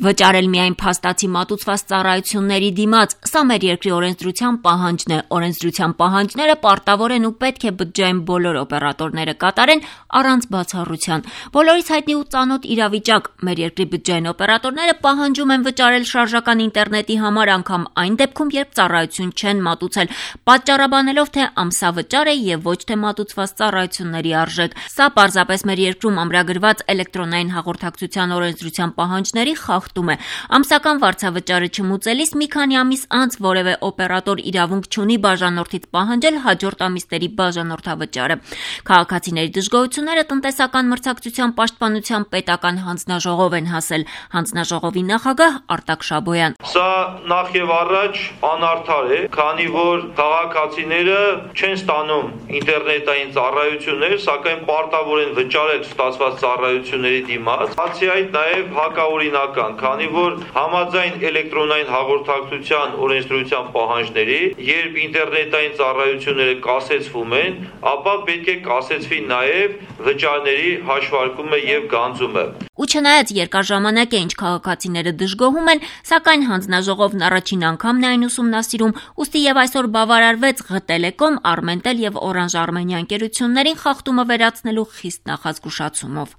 Վճարել միայն փաստացի մատուցված ծառայությունների դիմաց, սա մեր երկրի օրենսդրության պահանջն է։ Օրենսդրության պահանջները պարտավոր են ու պետք է բջջային բոլոր օպերատորները կատարեն առանց բացառության։ Բոլորից հայտնի ու ծանոթ իրավիճակ՝ մեր երկրի բջջային օպերատորները պահանջում են վճարել շարժական ինտերնետի համար անգամ այն դեպքում, երբ ծառայություն չեն մատուցել, պատճառաբանելով, թե ամսավճար է եւ ոչ թե մատուցված ծառայությունների արժեք։ Սա պարզապես մեր երկրում ամրագրված էլեկտրոնային հաղորդակցության օրենսդրության պահանջների խախտում է։ Ամսական վարձավճարը չմուծելիս մի քանի ամիս անց որևէ օպերատոր իրավունք չունի բաժանորդից պահանջել հաջորդ ամիսների բաժանորդավճարը։ Քաղաքացիների դժգոհությունները տնտեսական մրցակցության պաշտպանության պետական հանձնաժողով են հասել։ Հանձնաժողովի նախագահ Արտակ Շաբոյան. Սա նախ եւ առաջ անարդար է, քանի որ քաղաքացիները չեն ստանում ինտերնետային ծառայություններ, սակայն պարտավոր են վճարել ստացված ծառայությունների դիմաց։ Բացի այդ, նաեւ հակաօրինական, քանի որ համաձայն էլեկտրոնային հաղորդակցության օրենսդրության պահանջների, երբ ինտերնետային ծառայությունները կասեցվում են, ապա պետք է կասեցվի նաեւ վճարների հաշվարկումը եւ գանձումը։ Ու չնայած երկար ժամանակ է, ինչ քաղաքացիները դժգոհում են, սակայն հանձնաժողովն առաջին անգամն է այն ուսումնասիրում, ուստի եւ այսօր բավարարվեց ղ-Տելեկոմ, Armentel եւ Orange Armenia ընկերություններին խախտումը վերացնելու խիստ նախազգուշացումով։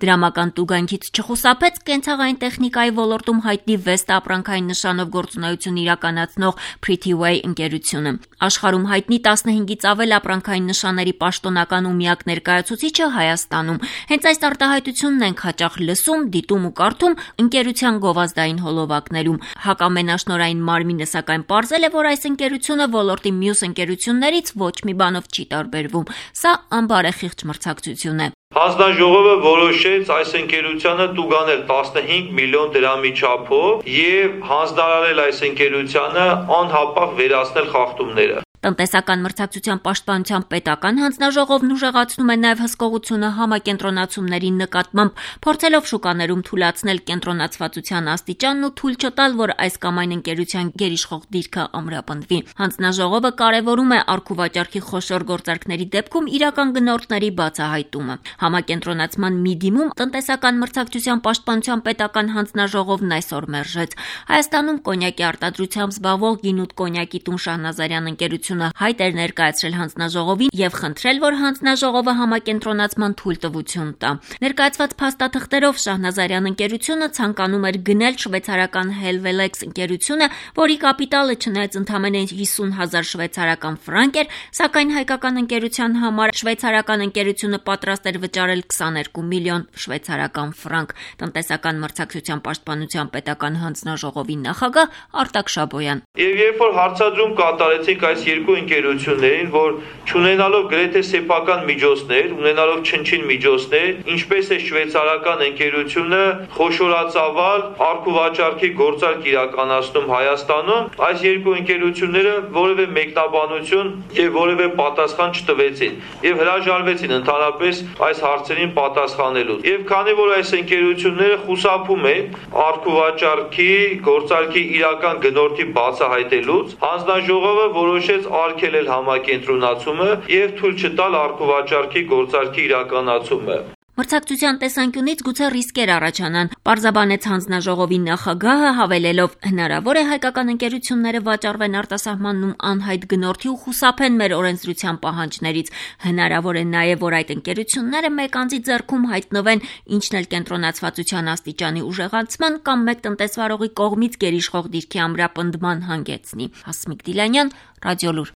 Դրամական տուգանքից չխուսափեց կենցաղային տեխնիկայի ոլորտում հայտնի Vesta ապրանքային նշանով գործունեություն իրականացնող Pretty-Way ընկերությունը։ Աշխարհում հայտնի 15-ից ավել ապրանքային նշանների պաշտոնական ու միակ ներկայացուցիչը Հայաստանում։ Հենց այս արտահայտությունն ենք հաճախ լսում, դիտում ու կարդում ընկերության գովազդային հոլովակներում։ Հակամենաշնորհային մարմինը սակայն պարզել է, որ այս ընկերությունը ոլորտի մյուս ընկերություններից ոչ մի բանով չի տարբերվում։ Սա անբարեխիղճ մրցակցություն է։ Հանձնաժողովը որոշեց այս ընկերությանը տուգանել 15 միլիոն դրամի չափով եւ հանձնարարել այս ընկերությանը անհապաղ վերացնել խախտումները։ Տնտեսական մրցակցության պաշտպանության պետական հանձնաժողովն ուժեղացնում է նաև հսկողությունը համակենտրոնացումների նկատմամբ, փորձելով շուկաներում թույլատրել կենտրոնացվածության աստիճանն ու թույլ չտալ, որ այս կամ այն ընկերության գերիշխող դիրքը ամրապնդվի։ Հանձնաժողովը կարևորում է առքուվաճառքի խոշոր գործարքների դեպքում իրական գնորդների բացահայտումը։ Համակենտրոնացման մի դիմում տնտեսական մրցակցության պաշտպանության պետական հանձնաժողովն այսօր մերժեց։ Հայաստանում կոնյակի արտադրությամբ զբաղվող Գինուտ կոնյակի տուն Շահնազարյան ընկերությունը հայտ էր ներկայացրել հանձնաժողովին եւ խնդրել, որ հանձնաժողովը համակենտրոնացման թույլտվություն տա։ Ներկայացված փաստաթղթերով Շահնազարյան ընկերությունը ցանկանում էր գնել շվեյցարական Helvelex ընկերությունը, որի կապիտալը չնայած ընդամենը 50,000 շվեյցարական ֆրանկ էր, սակայն հայկական ընկերության համար շվեյցարական ընկերությունը պատրաստ էր վճարել 22 միլիոն շվեյցարական ֆրանկ։ Տնտեսական մրցակցության պաշտպանության պետական հանձնաժողովի նախագահ Արտակ Շաբոյան. Եվ երբ որ հարցադրում կատարեցինք այս երկու ընկերություններին, որ չունենալով գրեթե սեփական միջոցներ, ունենալով չնչին միջոցներ, ինչպես է շվեյցարական ընկերությունը խոշորածավալ առքուվաճառքի գործարք իրականացնում Հայաստանում, այս երկու ընկերությունները որևէ մեկնաբանություն եւ որևէ պատասխան չտվեցին եւ հրաժարվեցին ընդհանրապես այս հարցերին պատասխանելու։ Եվ քանի որ այս ընկերությունները խուսափում են առքուվաճառքի գործարքի իրական գնորդի բացահայտելուց, հանձնաժողովը որոշեց արգելել համակենտրոնացումը եւ թույլ չտալ առքուվաճառքի գործարքի իրականացումը։ Մրցակցության տեսանկյունից գուցե ռիսկեր առաջանան, պարզաբանեց հանձնաժողովի նախագահը, հավելելով. հնարավոր է հայկական ընկերությունները վաճառվեն արտասահմանում անհայտ գնորդի ու խուսափեն մեր օրենսդրության պահանջներից։ Հնարավոր է նաև, որ այդ ընկերությունները մեկ անձի ձեռքում հայտնվեն, ինչն էլ կենտրոնացվածության աստիճանի ուժեղացման կամ մեկ տնտեսվարողի կողմից գերիշխող դիրքի ամրապնդման հանգեցնի։ Հասմիկ Դիլանյան, Ռադիոլուր։